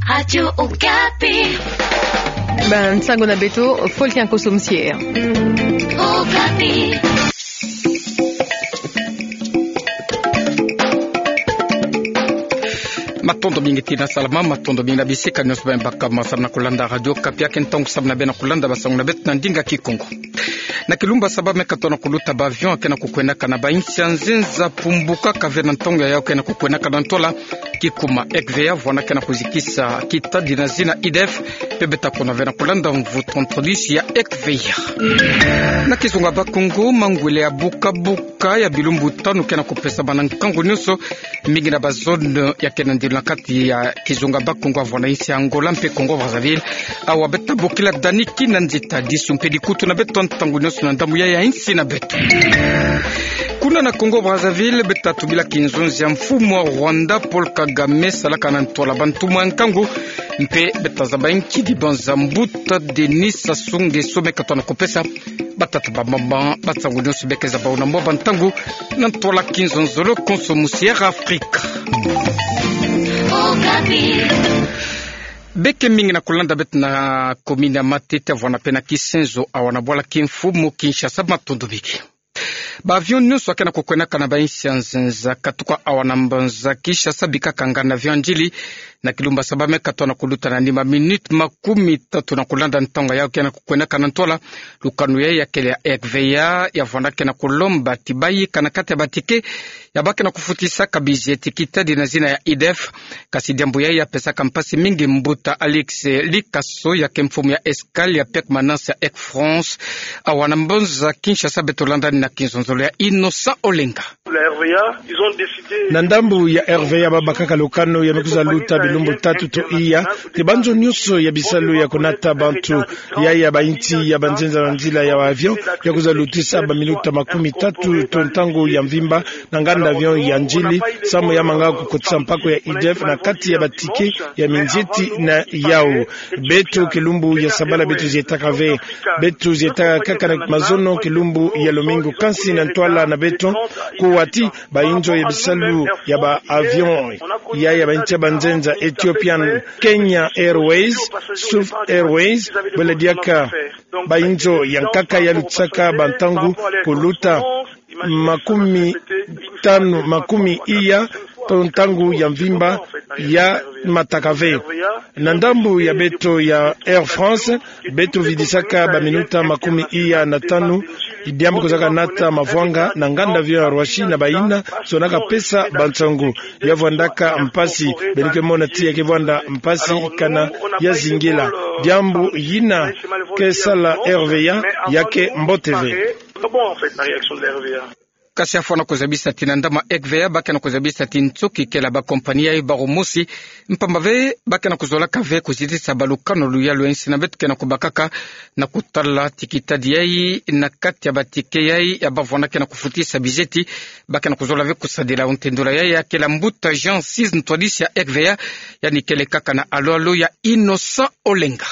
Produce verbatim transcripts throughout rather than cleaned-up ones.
Radio Okapi. Bansango na beto, Fulgence Kosso Musieya. Okapi. Matondo mingi tina salama, matondo mingi na bisika nyonso beno baka ma samu na kulanda Radio Okapi, ya ke ntangu samu na beno kulanda bansango na beto na ndinga Kikongo. Na kilumbu saba me katoto na kuluta, ba avion ake na kukwenaka na ba insi ya nzenza pumbukaka ve na ntangu yayau ke na kukwenaka na ntwala kikuma Ekwveya, vwanda ke na kuzikisa kita dina zina I D F, mpe beto ta kona ve na kulanda mvutu ntwadisi ya Ekwveya. Na kizunga Bakongo, mangwele ya bukabuka ya bilumbu tanu ke na kupesa bana nkangu nyonso, mingi na ba zone ya ke na ndilo na kati ya kizunga Bakongo, avwanda insi ya Angola mpe Congo Brazzaville. Awa beto ta bokila Dani Kinanzita, disu mpe dikutu na beto ntangu nyonso na ndambu ya ya insi na beto. Kuna na Congo Brazzaville, beto ta tubila kinzonzi ya mfumu wa Rwanda, Paul Kagame, salaka na ntwala bantumwa ya nkangu, mpe beto ta zaba nkidi banza mbuta Denis Sassou Nguesso me katoto na kupesa batata bambamba. Bansango nyonso beke zaba na mwa bantangu na ntwala Kinzonzolo Konso Musiere Afrika. Beke mingi na kulanda beto na komini ya Matete, vwanda mpe na Kisenzo, awa na bwala kimfumu Kinshasa, matondo mingi. Ba avion nyonso ake na kukwenaka na ba insi ya nzenza katuka awa na mbanza Kinshasa bikaka nganda avion ya ndjili, na kilumbu saba me katoto na kuluta na nima minute makumi tatu na kulanda ntangu yayau ke na kukwenaka na ntwala. Lukanu yayi ya kele ya Ekwveya, ya vwanda ke na kulomba ti bayika na kati ya ba ticket ya ba ke na kufutisaka bizi ti kita dina zina ya I D F. Kasi diambu yayi ya pesaka mpasi mingi mbuta Alex Likaso, ya ke mfumu ya escale ya permanence ya Air France, awa na mbanza Kinshasa. Beto landani na kinzonzolo ya Innocent Olenga. Na ndambu ya Ekwveya, ba bakaka lukanu ya me kwiza luta bilumbu tatu to iya, ti banzo nyonso ya bisalu ya kunata bantu, ya ya ba insi ya banzenza na nzila ya ba avion, ya kwiza lutisa ba minuta makumi tatu to ntangu ya mvimba na nganda avion ya ndjili, samu ya manga kukotisa mpaku ya I D F na kati ya ba ticket ya minzieti na yau. Beto kilumbu ya sabala beto zietaka ve. Beto zietaka kaka na mazono kilumbu ya lumingu, kansi na ntwala na beto kuwa ti ba inzo ya bisalu ya ba avion ya ya ba insi ya banzenza, Ethiopian, Kenya Airways, Swift Airways, bwela diaka ba inzo ya nkaka ya lutisaka bantangu kuluta makumi tanu, makumi iya to ntangu ya mvimba ya mataka ve. Na ndambu ya beto ya Air France, beto vidisaka ba minuta makumi iya na tanu, diambu kwizaka nata mavwanga na nganda avion ya Roissy na bayina zonaka pesa bansangu. Ya vwandaka mpasi, beno ke mona ti ya ke vwanda mpasi kana ya zingila. Diambu yina ke sala Ekwveya ya ke mbote ve. Kasi afwana kuzabisa ti na ndambu ya Ekwveya, ba ke na kuzabisa ti nsoki kele ba kompani yayi bakumosi, mpamba ve ba ke na kuzolaka ve kuzitisa balukanu luyalu ya insi na beto ke na kubakaka na kutala ti kitadi yayi na kati ya ba ticket yayi ya ba vwanda ke na kufutisa bizieti. Ba ke na kuzola ve kusadila ntendula yayi ya kele mbuta Jean Sis, ntwadisi ya Ekwveya, yandi kele kaka na alo-alo ya Innocent Olenga.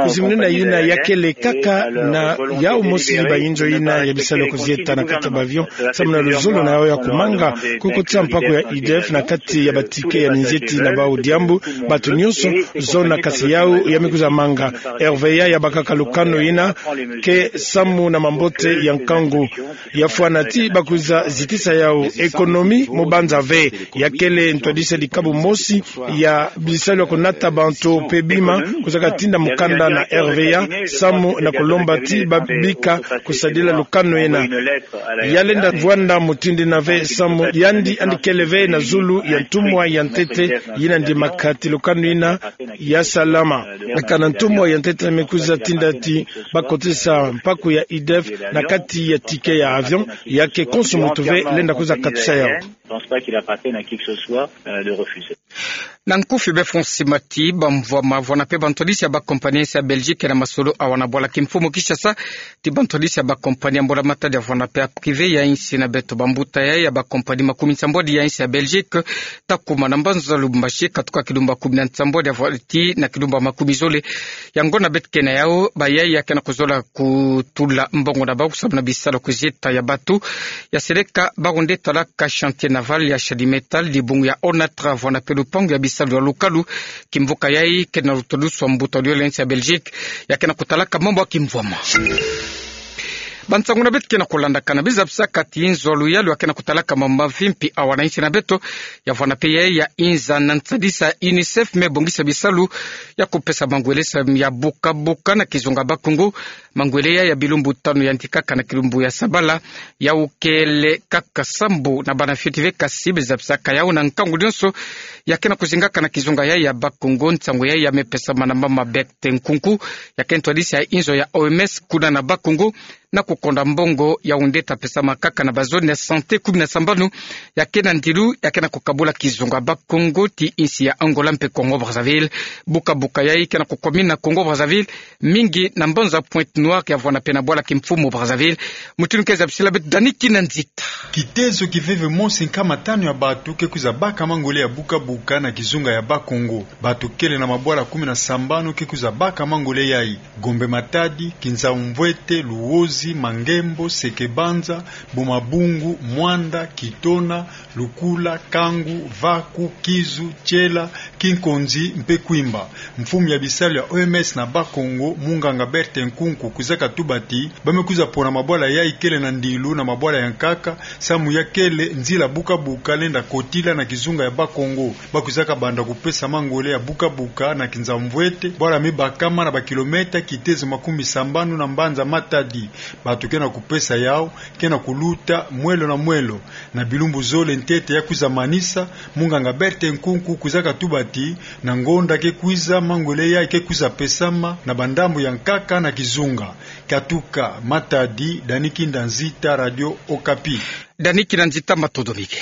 Kuzimunina yina ya kele kaka na yau mosi ba inzo yina ya bisalu kuzieta na kati ya ba avion, samu na luzolo na yau ya kumanga kukotisa mpaku ya I D F na kati ya ba ticket ya minzieti na bau. Diambu bantu nyonso zona, kasi yau ya me kwiza manga. Ekwveya ya bakaka lukanu yina ke samu na mambote ya nkangu. Ya fwana ti ba kwiza zitisa yau. Économie mu banza ve. Ya kele ntwadisi ya dikabu mosi ya bisalu ya kunata bantu mpe bima kwizaka tinda mukanda na Ekwveya samu na kulomba ti ba bika kusadila lukanu yina. Ya lenda vwanda mutindi yina ve samu yandi yandi kele ve na zulu ya ntumwa ya ntete yina ndimaka ti lukanu yina ya salama. Kana ntumwa ya ntete me kwiza tinda ti ba kotisa mpaku ya I D F na kati ya ticket ya avion, ya ke konso muntu ve lenda kwiza katisa yau. Je pense pas qu'il appartienne à qui que ce soit, euh, de refuser. Na nkufi befo nsimati, bamvwama vwanda mpe bantwadisi ya ba kompani ya insi ya Belgique na masolo awa na bwala kimfumu Kinshasa, ti bantwadisi ya ba kompani ya mbula matadi ya vwanda mpe ya privé ya insi na beto. Bambuta yayi ya ba kompani makumi nsambwadi ya insi ya Belgique ta kuma na mbanza Lubumbashi katuka kilumbu kumi na nsambwadi ya vwati na kilumbu makumi zole. Yango na beto ke na yau, bayayi ya ke na kuzola kutula mbongo na bau samu na bisalu kuzieta ya bantu. Ya seleka bau nde talaka chantier naval ya Shadi Metal, dibungu ya Onatra vwanda mpe lupangu ya salu ya lukalu. Kimvuka yai ke na lutodusu wa mbuta uriole ya nsi ya Belgique, ya ke na kutalaka mambu ya kimvwama. Bansango na beto ke na kulandakana, bizabisaka ti nzo ya luyalu ya ke na kutalaka mambu mavimpi awa na nsi na beto, ya vwanda pe yai ya inza na nsadisa UNICEF me bongisa bisalu ya kupesa mangwele samu ya bukabuka na kizunga Bakongo. Mangwele yai ya bilumbu tanu yandi kaka na kilumbu ya sabala, yau kele kaka sambu na bana fioti ve, kasi bizabisaka yau na nkangu nyonso ya ke na kuzingaka na kizunga yai ya Bakongo. Nsangu yai ya me pesama na mama Berthe Nkunku, ya ke ntwadisi ya inzo ya O M S kuna na Bakongo, na kukonda mbongo ya undeta pesama kaka na ba zone ya santé kumi na sambanu ya ke na ndilu ya ke na kukabula kizunga Bakongo ti nsi ya Angola mpe Congo Brazzaville. Bukabuka yai ke na kukwamina Congo Brazzaville mingi na mbanza Pointe-Noire, ya vwanda pe na bwala kimfumu Brazzaville. Mutindu ke zabisila beto Dani Kinanzita. Kitezo kiveve mosi nkama tanu ya bato ke kwiza baka mangwele ya bukabuka na kizunga ya Bakongo. Bato kele na mabwala kumi na sambanu ke kwiza baka mangwele yai: Gombe-Matadi, Kinzau-Mvuete, Luozi, Mangembo, Seke-Banza, Boma-Bungu, Muanda, Kitona, Lukula, Kangu, Vaku, Kizu, Tiela, Kinkonzi mpe Kwimba. Mfumu ya bisalu ya O M S na Bakongo, munganga Berthe Nkunku, kwizaka tuba ti ba me kwiza pona mabwala yai kele na ndilu na mabwala ya nkaka, samu ya kele nzila bukabuka lenda kotila na kizunga ya Bakongo. Ba kwizaka banda kupesa mangwele ya bukabuka na Kinzau-Mvuete, bwala me bakama na ba kilomètre kitezo makumi sambanu na mbanza Matadi. Bato ke na kupesa yau ke na kuluta mwelo na mwelo. Na bilumbu zole ntete ya kwiza manisa, munganga Berthe Nkunku kwizaka tuba ti na ngonda ke kwiza, mangwele yai ke kwiza pesama na bandambu ya nkaka na kizunga. Katuka Matadi, Dani Kinanzita, Radio Okapi. Dani Kinanzita, matondo mingi.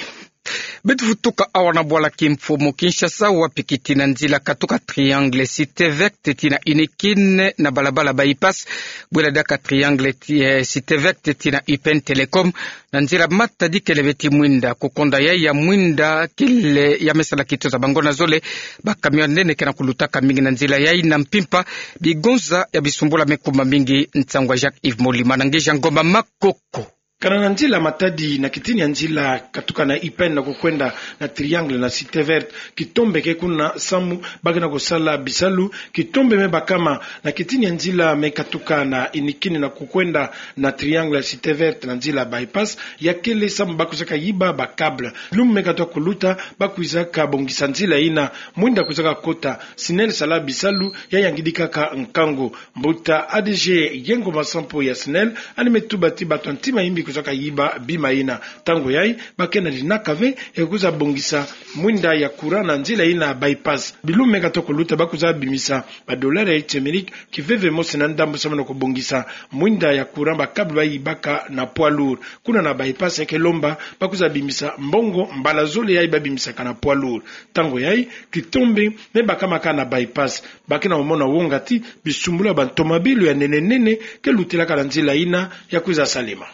Beto vutuka awa na bwala kimfumu Kinshasa, wapi kitina nzila katuka Triangle Cité Verte tii na UNIKIN na balabala Bypass, bwela diaka Triangle ti-, eh, Cité Verte tii na U P N Télécom, na nzila Matadi kele beti mwinda. Kukonda yai ya mwinda kele ya me sala kitoza bango na zole, ba camion nene ke na kulutaka mingi na nzila yai na mpimpa. Bigonza ya bisumbula me kuma mingi. Nsangu ya Jacques Yves Molima na nge Jean Ngoma Makoko. Kana na nzila Matadi na kitini ya nzila katuka na U P N na kukwenda na Triangle na Cité Verte, kitombe ke kuna samu ba ke na kusala bisalu. Kitombe me bakama na kitini ya nzila me katuka na UNIKIN na kukwenda na Triangle ya Cité Verte na nzila Bypass, ya kele samu ba kwizaka yiba ba câble. Lumbu me katuka kuluta, ba kwizaka bongisa nzila yina, mwinda kwizaka kota. SNEL sala bisalu, ya yangidi kaka nkangu. Mbuta A D G Yengo Masampo ya SNEL, yandi me tuba ti bato ya ntima yimbi kwizaka yiba bima yina. Ntangu yai, ba ke na linaka ve ya kwiza bongisa mwinda ya courant na nzila yina Bypass. Bilumbu me katuka kuluta ba kwiza bimisa ba dollars ya nsi Amerika kiveve mosi na ndambu samu na kubongisa mwinda ya courant, ba câble ba yibaka na poids lourd. Kuna na Bypass ya ke lomba ba kwiza bimisa mbongo mbala zole yai ba bimisaka na poids lourd. Ntangu yai, kitombe me bakama kaka na Bypass. Ba ke na kumona wonga ti bisumbulu ya ba ntomabilu ya nene nene ke lutilaka na nzila yina ya kwiza salema.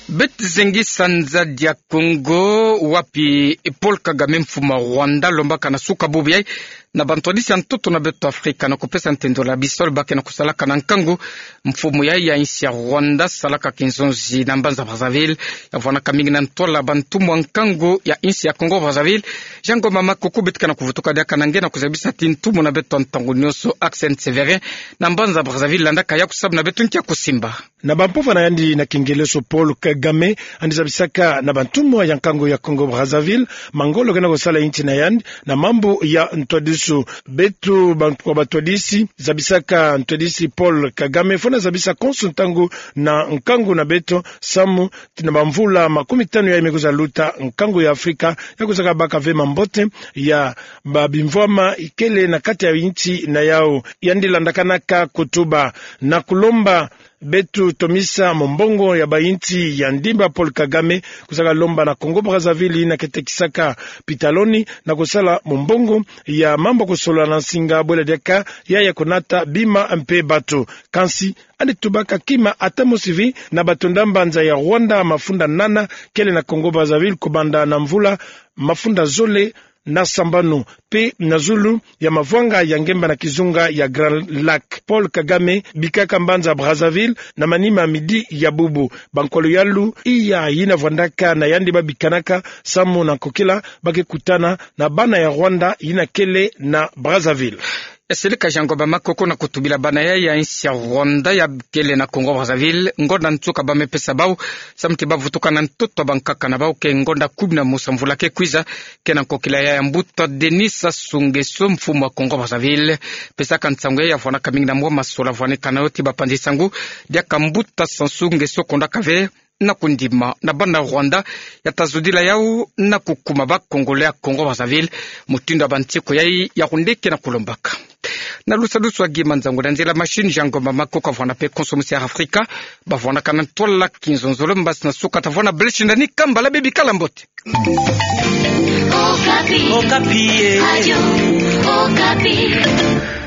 Beto zengi sanza dia Kongo, wapi Paul Kagame, mfumu ya Rwanda, lombaka na suka bubu yai na bantwadisi ya ntoto na beto Afrika na kupesa ntendolo ya bisalu ba ke na kusalaka na nkangu. Mfumu yai ya nsi ya Rwanda salaka kinzonzi na mbanza Brazzaville, ya vwanaka mingi na ntwala bantumwa nkangu ya nsi ya Congo Brazzaville. Jean Ngoma Makoko, beto ke na kuvutuka diaka na nge na kuzabisa ti ntumwa na beto ya ntangu nyonso, Axel Severin, na mbanza Brazzaville, landaka yaku samu na beto nki ya kusimba. Na bampova na yandi na kingeleso, Paul Kagame yandi zabisaka na bantumwa ya nkangu ya Congo Brazzaville mangolo ke na kusala inti na yandi na mambu ya ntwadisu. Beto bantu kwa batwadisi, zabisaka ntwadisi Paul Kagame, fwana zabisa konso ntangu na nkangu na beto, samu ti na bamvula makumi tanu yai me kwiza luta, nkangu ya Afrika ya kwizaka baka ve mambote ya ba bimvwama ikele na kati ya inti na yau. Yandi landakanaka kutuba na kulomba beto tomisa mombongo ya ba inti ya ndimba. Paul Kagame kwizaka lomba na Congo Brazzaville yina ke tekisaka pitaloni na kusala mombongo ya mambu ya kusolola na nsinga, bwela diaka yaya kunata bima mpe bato. Kansi yandi tubaka kima ata mosi vi na bato nda mbanza ya Rwanda mafunda nana kele na Congo Brazzaville kubanda na mvula mafunda zole na sambanu, pe na zulu ya mavwanga ya ngemba na kizunga ya Grand Lac. Paul Kagame bikaka mbanza Brazzaville na manima midi ya bubu. Bankolo ya lu iya yina vwandaka na yandi babikanaka samu na nkokila ba ke kutana na bana ya Rwanda yina kele na Brazzaville. Esili ka Jean Ngomba Makoko na kutubila bana ya ya insi ya Rwanda ya kele na Congo Brazzaville ngonda nsuka ba me pesa bau samu ti ba vutuka na ntoto ya bankaka na bau ke ngonda kumi na mosi mvula ke kwiza, ke na nkokila ya ya Mbuta Denis Sassou Nguesso, mfumu wa Congo Brazzaville. Pesaka nsangu ya ya vwanaka mingi na mwa masola vwaneka na yo ti bapanzi nsangu, diaka Mbuta Sassou Nguesso kondaka ve na kundima na bana Rwanda ya ta zodila yau na kukuma ba Congolais ya Congo Brazzaville, mutindu ya bantsiko yai ya kundeke na kulombaka. Na lusalusu ya gima nzangu na nzila machine, Jean Ngomba Makoko vwana pe konso musi ya Afrika, ba vwanaka na ntwala kinzonzolo, mbasi na suka ta vwana bleshi ndani kambala, bebi kala mbote. Okapi. Okapi, eh. Radio Okapi.